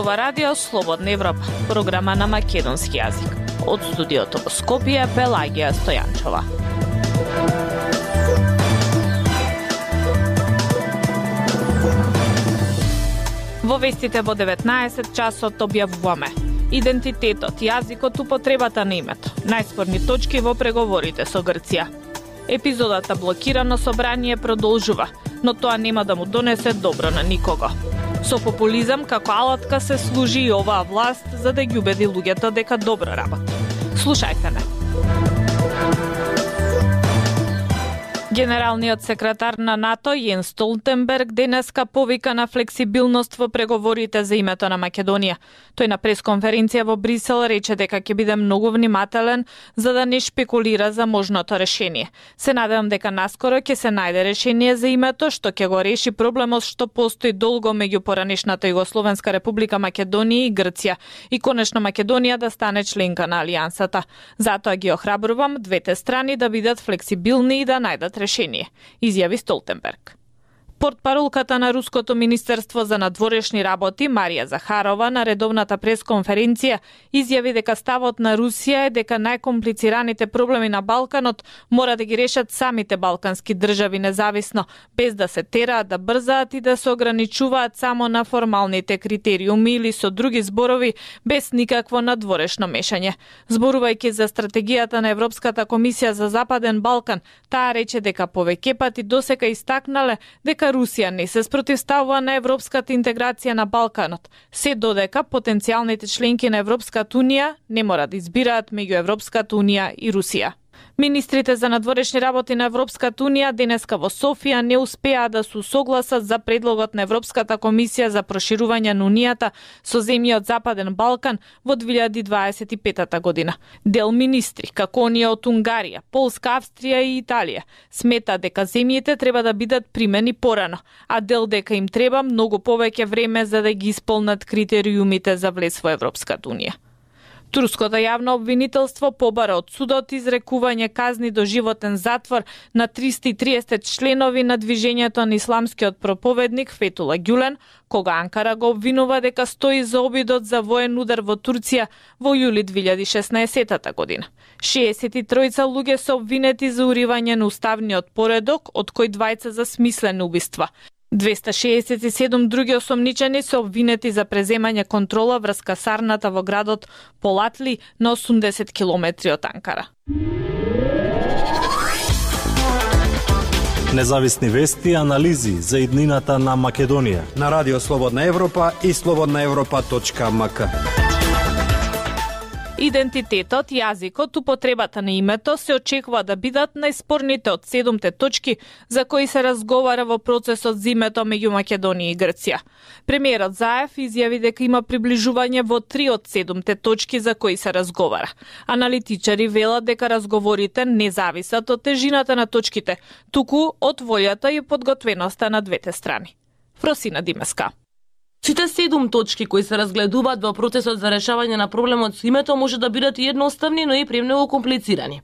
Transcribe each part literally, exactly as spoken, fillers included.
зборува Радио Слободна Европа, програма на македонски јазик. Од студиото во Скопје, Пелагија Стојанчова. Во вестите во деветнаесет часот објавуваме идентитетот, јазикот, употребата на името, најспорни точки во преговорите со Грција. Епизодата блокирано собрание продолжува, но тоа нема да му донесе добро на никого. Со популизам како алатка се служи и оваа власт за да ги убеди луѓето дека добро работи. Слушајте не. Генералниот секретар на НАТО Јенс Столтенберг денеска повика на флексибилност во преговорите за името на Македонија. Тој на пресконференција во Брисел рече дека ќе биде многу внимателен за да не шпекулира за можното решение. Се надевам дека наскоро ќе се најде решение за името што ќе го реши проблемот што постои долго меѓу поранешната Југословенска република Македонија и Грција и конечно Македонија да стане членка на алијансата. Затоа ги охрабрувам двете страни да бидат флексибилни и да најдат решение, изјави Столтенберг. Портпаролката на Руското министерство за надворешни работи Марија Захарова на редовната пресконференција изјави дека ставот на Русија е дека најкомплицираните проблеми на Балканот мора да ги решат самите балкански држави независно, без да се тераат да брзаат и да се ограничуваат само на формалните критериуми или со други зборови без никакво надворешно мешање. Зборувајќи за стратегијата на Европската комисија за Западен Балкан, таа рече дека повеќе пати досека истакнале дека Русија не се спротивставува на европската интеграција на Балканот, се додека потенцијалните членки на Европската унија не мора да избираат меѓу Европската унија и Русија. Министрите за надворешни работи на Европската унија денеска во Софија не успеа да се согласат за предлогот на Европската комисија за проширување на унијата со земји од Западен Балкан во две илјади дваесет и пета година. Дел министри, како оние од Унгарија, Полска, Австрија и Италија, смета дека земјите треба да бидат примени порано, а дел дека им треба многу повеќе време за да ги исполнат критериумите за влез во Европската унија. Турското јавно обвинителство побара од судот изрекување казни до животен затвор на триста и триесет членови на движењето на исламскиот проповедник Фетула Гюлен, кога Анкара го обвинува дека стои за обидот за воен удар во Турција во јули две илјади и шеснаесета година. шеесет и тројца луѓе се обвинети за уривање на уставниот поредок, од кои двајца за смислени убиства. двеста шеесет и седум други осомничени се обвинети за преземање контрола врз касарната во градот Полатли на осумдесет километри од Анкара. Независни вести и анализи за иднината на Македонија на Радио Слободна Европа и слободна европа точка ем ка. Идентитетот, јазикот, употребата на името се очекува да бидат најспорните од седумте точки за кои се разговара во процесот за името меѓу Македонија и Грција. Премиерот Заев изјави дека има приближување во три од седумте точки за кои се разговара. Аналитичари велат дека разговорите не зависат од тежината на точките, туку од волјата и подготвеноста на двете страни. Фросина Димеска. Сите седум точки кои се разгледуваат во процесот за решавање на проблемот со името може да бидат и едноставни, но и премногу комплицирани.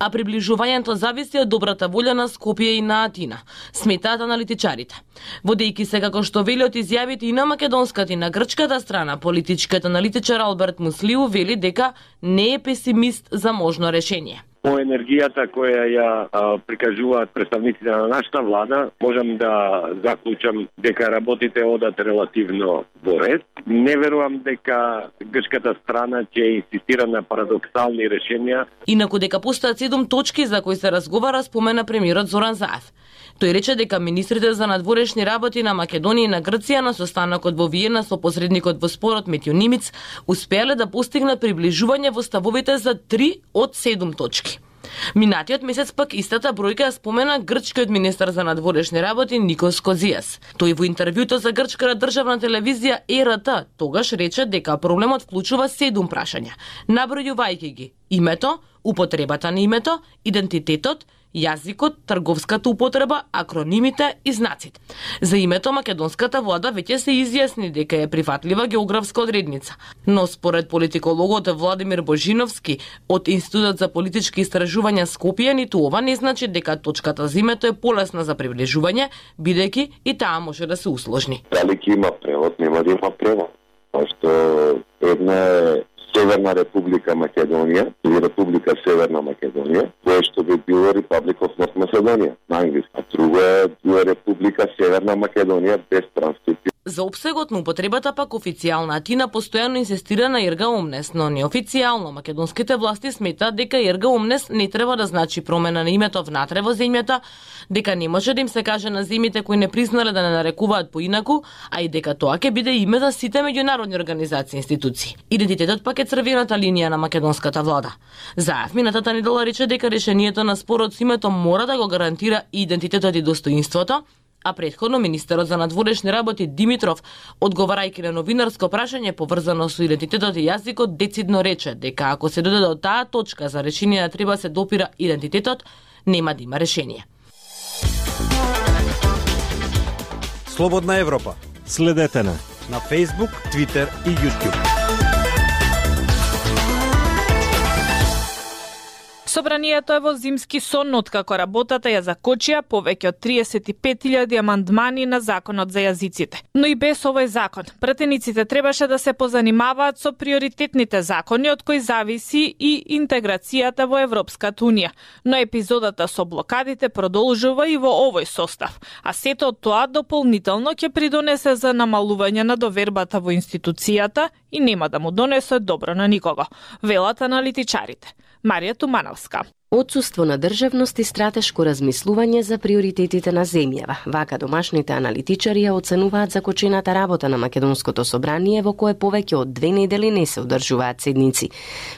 А приближувањето зависи од добрата волја на Скопје и на Атина, сметаат аналитичарите. Водејќи се како што вели од изјавите и на македонската и на грчката страна, политичкиот аналитичар Алберт Муслиу вели дека не е песимист за можно решение. По енергијата која ја а, прикажуваат представниците на нашата влада, можам да заклучам дека работите одат релативно во ред. Не верувам дека грчката страна ќе инсистира на парадоксални решенија. Инаку дека постојат седум точки за кои се разговара, спомена премиерот Зоран Заев. Тој рече дека министрите за надворешни работи на Македонија и на Грција на состанокот во Виена со посредникот во спорот Метјо Нимиц успеале да постигнат приближување во ставовите за три од седум точки. Минатиот месец пак истата бројка ја спомена грчкиот министер за надворешни работи Никос Козијас. Тој во интервјуто за грчката државна телевизија Е Р Т тогаш рече дека проблемот вклучува седум прашања, набројувајќи ги: името, употребата на името, идентитетот, јазикот, трговската употреба, акронимите и знаците. За името македонската влада веќе се изјасни дека е прифатлива географска одредница, но според политикологот Владимир Божиновски од Институтот за политички истражувања Скопје, ниту ова не значи дека точката за името е полесна за приближување, бидејќи и таа може да се усложни. Дали ќе има превод, нема да има превод. што една е Северна Република Македонија или Република Северна Македонија, која што би било Republic of North Macedonia на англиски. А друга е Република Северна Македонија без транскрипција. За опсегот на употребата пак официјална Атина постојано инсистира на Ерга Омнес, но неофицијално македонските власти сметаат дека Ерга Омнес не треба да значи промена на името внатре во земјата, дека не може да им се каже на земјите кои не признале да не нарекуваат поинаку, а и дека тоа ќе биде име за сите меѓународни организации и институции. Идентитетот пак е црвената линија на македонската влада. Заев минатата недела рече дека решението на спорот со името мора да го гарантира и идентитетот и достоинството, а претходно министерот за надворешни работи Димитров, одговарајќи на новинарско прашање поврзано со идентитетот и јазикот, децидно рече дека ако се дојде до таа точка за решение да треба се допира идентитетот, нема да има решение. Слободна Европа. Следете на на Facebook, Twitter и YouTube. Собранието е во зимски сон откако работата ја закочија повеќе од триесет и пет илјади амандмани на законот за јазиците. Но и без овој закон, пратениците требаше да се позанимаваат со приоритетните закони од кои зависи и интеграцијата во Европската унија. Но епизодата со блокадите продолжува и во овој состав, а сето од тоа дополнително ќе придонесе за намалување на довербата во институцијата и нема да му донесе добро на никого, велат аналитичарите. Марија Тумановска. Отсуство на државност и стратешко размислување за приоритетите на земјава. Вака домашните аналитичари ја оценуваат закочената работа на Македонското собрание, во кое повеќе од две недели не се одржуваат седници.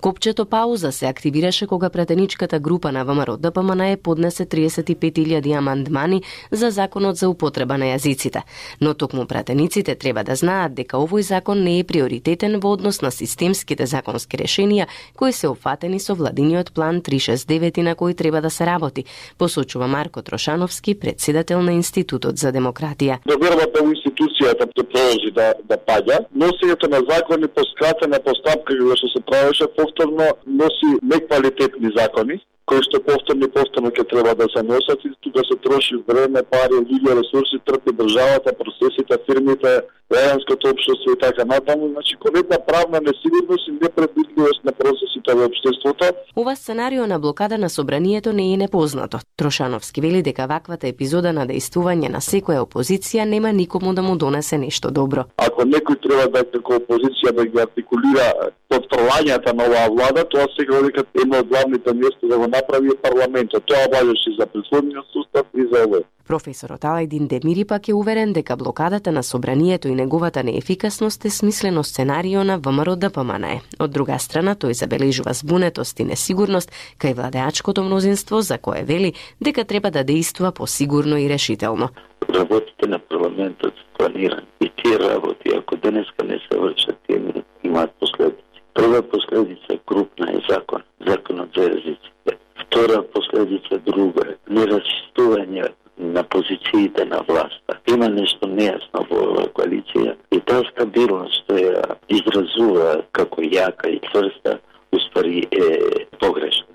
Копчето пауза се активираше кога пратеничката група на ВМРО-ДПМН поднесе триесет и пет илјади амандмани за законот за употреба на јазиците. Но токму пратениците треба да знаат дека овој закон не е приоритетен во однос на системските законски решенија кои се опфатени со владиниот план триста шесдесет и девет на кој треба да се работи, посочува Марко Трошановски, председател на Институтот за демократија. Довербата во институцијата ќе продолжи да да паѓа. Носењето на закони по скратена постапка кога што се правеше повторно носи неквалитетни закони, кои што повторно и повторно ќе треба да се носат и тука се троши време, пари, луѓе, ресурси, трпи државата, процесите, фирмите, граѓанското општество и така натаму. Значи, конкретна правна несигурност и непредвидливост на процесите во општеството. Ова сценарио на блокада на собранието не е непознато. Трошановски вели дека ваквата епизода на дејствување на секоја опозиција нема никому да му донесе нешто добро. Ако некој треба да како опозиција да ги артикулира потфрлањата на оваа влада, тоа сега дека едно од главните места да го направи е парламентот. Тоа важеше за претходниот сустав и за овој. Професорот Алајдин Демири пак е уверен дека блокадата на собранието и неговата неефикасност е смислено сценарио на ВМРО-ДПМН. Од друга страна, тој забележува збунетост и несигурност кај владеачкото мнозинство, за кое вели дека треба да дејствува посигурно и решително. Работите на парламентот планирани и тие работи, ако денеска не се вршат, тие имаат последици. Прва последица крупна е закон, законот за јазиците. Втора последица друга е неразчистување на позициите на власта. Има нешто нејасно во оваа коалиција и таа стабилност што ја изразува како јака и цврста, уствари е погрешна.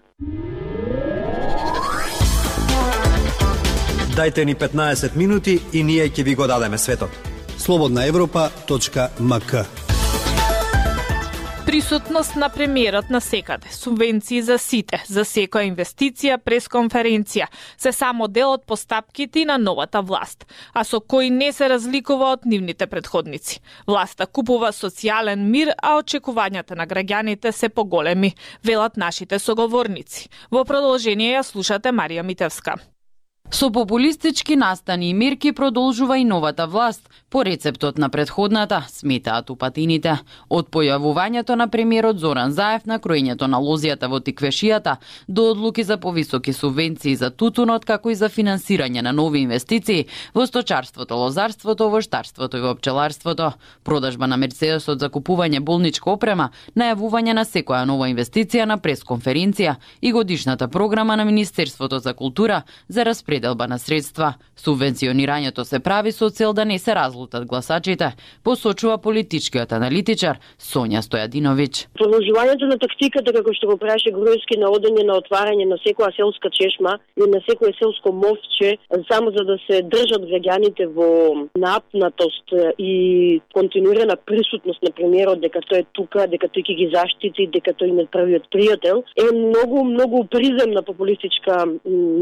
Дајте ни петнаесет минути и ние ќе ви го дадеме светот. слободна европа точка ем ка. Присутност на премиерот на секаде, субвенции за сите, за секоја инвестиција, пресконференција, се само дел од постапките на новата власт, а со кои не се разликува од нивните претходници. Власта купува социјален мир, а очекувањата на граѓаните се поголеми, велат нашите соговорници. Во продолжение ја слушате Марија Митевска. Со популистички настани и мерки продолжува и новата власт, по рецептот на претходната, сметаат упатините. Од појавувањето на премиерот Зоран Заев на кроењето на лозијата во тиквешијата, до одлуки за повисоки субвенции за тутунот, како и за финансирање на нови инвестиции во сточарството, лозарството, воштарството и во пчеларството, продажба на Мерцедесот за купување болничка опрема, најавување на секоја нова инвестиција на пресконференција и годишната програма на Министерството за култура за распределение пределба на средства. Субвенционирањето се прави со цел да не се разлутат гласачите, посочува политичкиот аналитичар Сонја Стојадиновиќ. Продолжувањето на тактиката како што го праше Груевски на одење на отварање на секоја селска чешма и на секое селско мовче само за да се држат граѓаните во напнатост и континуирана присутност на премиерот дека тој е тука, дека тој ќе ги заштити, дека тој им е првиот пријател, е многу многу приземна популистичка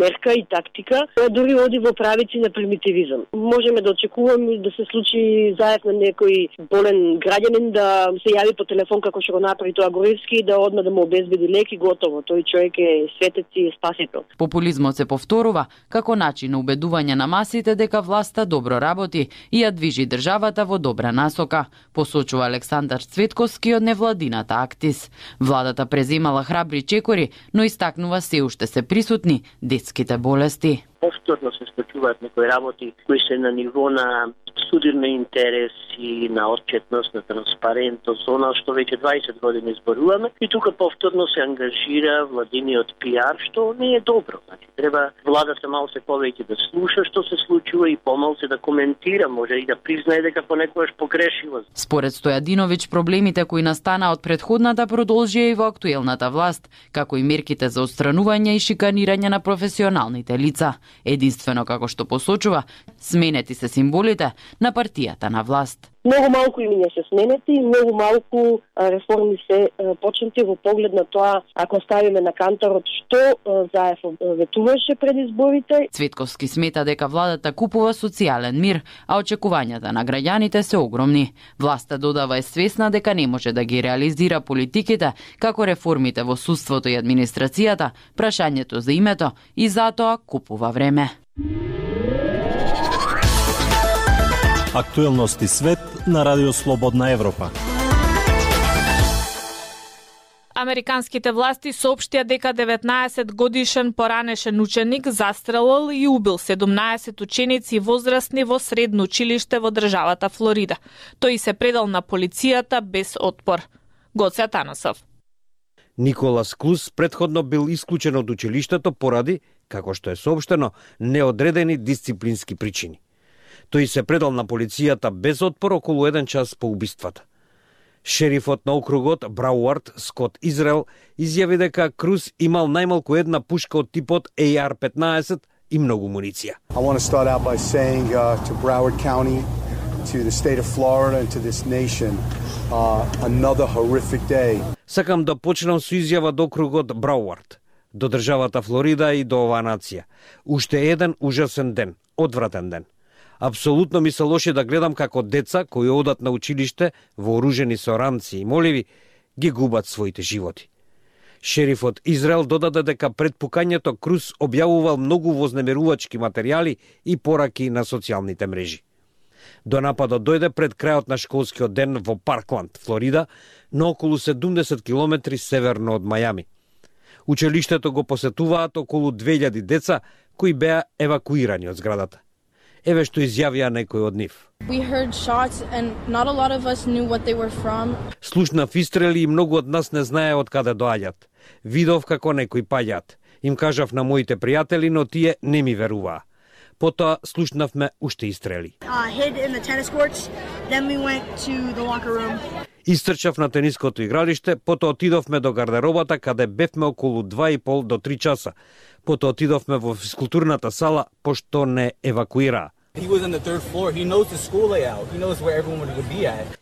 мерка и тактика, која дури оди во правици на примитивизам. Можеме да очекуваме да се случи Заев на некој болен граѓанин да се јави по телефон како што го направи тоа Груевски и да одма да му обезбеди лек и готово. Тој човек е светец и спасител. Популизмот се повторува како начин на убедување на масите дека власта добро работи и ја движи државата во добра насока, посочува Александар Цветковски од невладината Актис. Владата преземала храбри чекори, но истакнува се уште се присутни детските болести. Повторно се случуваат некои работи кои се на ниво на судирни интереси, на отчетност, на транспарентност, она што веќе дваесет години зборуваме, и тука повторно се ангажира владиниот пиар, што не е добро. Значи, треба владата малку се повеќе да слуша што се случува и помалку се да коментира, може и да признае дека понекогаш погрешила. Според Стојадиновиќ, проблемите кои настана од претходната продолжија и во актуелната власт, како и мерките за отстранување и шиканирање на професионалните лица. Единствено, како што посочува, сменети се символите на партијата на власт. Многу малку имиња се сменети и многу малку реформи се почнати во поглед на тоа, ако ставиме на кантарот што Заев ветуваше пред изборите. Цветковски смета дека владата купува социјален мир, а очекувањата на граѓаните се огромни. Власта додава е свесна дека не може да ги реализира политиките како реформите во судството и администрацијата, прашањето за името и затоа купува време. Актуелности свет на Радио Слободна Европа. Американските власти соопштија дека деветнаесет годишен поранешен ученик застрелил и убил седумнаесет ученици возрастни во средно училиште во државата Флорида. Тој се предал на полицијата без отпор. Гоце Атанасов. Николас Клус претходно бил исклучен од училиштето поради, како што е соопштено, неодредени дисциплински причини. Тој се предал на полицијата без отпор околу еден час по убиствата. Шерифот на округот Брауард Скот Израел изјави дека Круз имал најмалку една пушка од типот А Р петнаесет и многу муниција. I want to start out by saying uh, to Broward County, to the state of Florida and to this nation, uh, another horrific day. Сакам да почнам со изјава до округот Брауард, до државата Флорида и до оваа нација. Уште еден ужасен ден, одвратен ден. Апсолутно ми се лоши да гледам како деца кои одат на училиште вооружени со ранци и моливи ги губат своите животи. Шерифот Израел додаде дека пред пукањето Круз објавувал многу вознемирувачки материјали и пораки на социјалните мрежи. До нападот дојде пред крајот на школскиот ден во Паркланд, Флорида, на околу седумдесет километри северно од Мајами. Училиштето го посетуваат околу две илјади деца кои беа евакуирани од зградата. Еве што изјавија некој од нив. Слушнав истрели и многу од нас не знае од каде доаѓат. Видов како некои паѓаат. Им кажав на моите пријатели, но тие не ми веруваа. Потоа слушнавме уште истрели. Истрчав на тениското игралиште, потоа отидовме до гардеробата каде бевме околу два и пол до три часа. Потоа отидовме во физкултурната сала, пошто не евакуираа.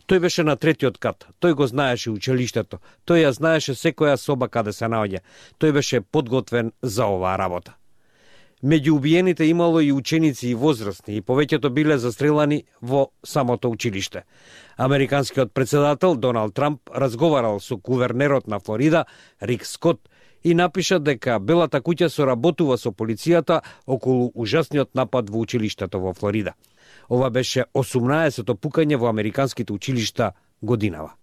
Тој беше на третиот кат. Тој го знаеше училиштето. Тој ја знаеше секоја соба каде се наоѓа. Тој беше подготвен за оваа работа. Меѓу убиените имало и ученици и возрастни, и повеќето биле застрелани во самото училиште. Американскиот председател Доналд Трамп разговарал со гувернерот на Флорида Рик Скот и напиша дека Белата куќа соработува со полицијата околу ужасниот напад во училиштето во Флорида. Ова беше осумнаесето пукање во американските училишта годинава.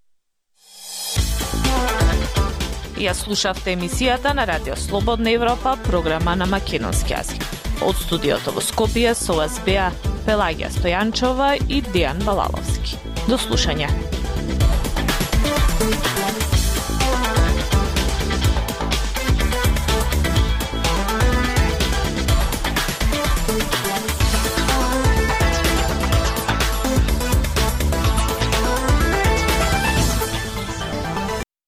Ја слушавте емисијата на Радио Слободна Европа, програма на македонски јазик. Од студиото во Скопје со вас беа Пелагија Стојанчова и Дејан Балаловски. До слушање.